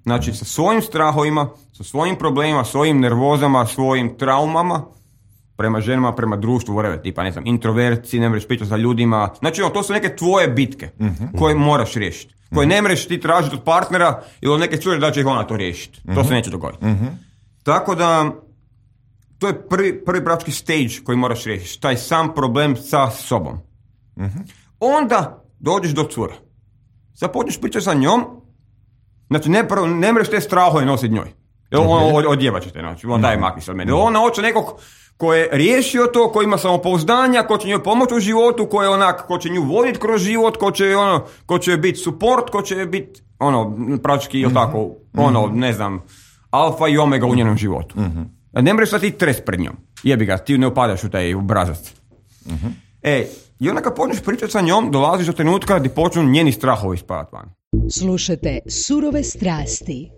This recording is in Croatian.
Znači, sa svojim strahovima, sa svojim problemima, svojim nervozama, svojim traumama, prema ženama, prema društvu, whatever, tipa, ne znam, introverci, ne možeš pričati sa ljudima. Znači, to su neke tvoje bitke koje moraš riješiti. Koje ne možeš ti tražiti od partnera ili od neke cure da će ih ona to riješiti. To se neće dogoditi. Tako da, to je prvi praktički stage koji moraš riješiti. Taj sam problem sa sobom. Onda dođeš do cure. Započneš pričati sa njom. Znači, ne možeš te strahove nositi njoj. Odjebat ćete, znači, daj makni se od mene. Ona hoće nekog ko je riješio to, ko ima samopouzdanja, ko će njoj pomoći u životu, ko će nju voditi kroz život, ko će biti support, ko će biti, praktički, tako, ne znam, alfa i omega u njenom životu. Ne možeš sad ti tres pred njom. Jebi ga, ti ne upadaš u taj obrazac. I onda kad počneš pričati sa njom, dolaziš do trenutka gdje počnu njeni strahovi ispadati van. Slušajte Surove strasti.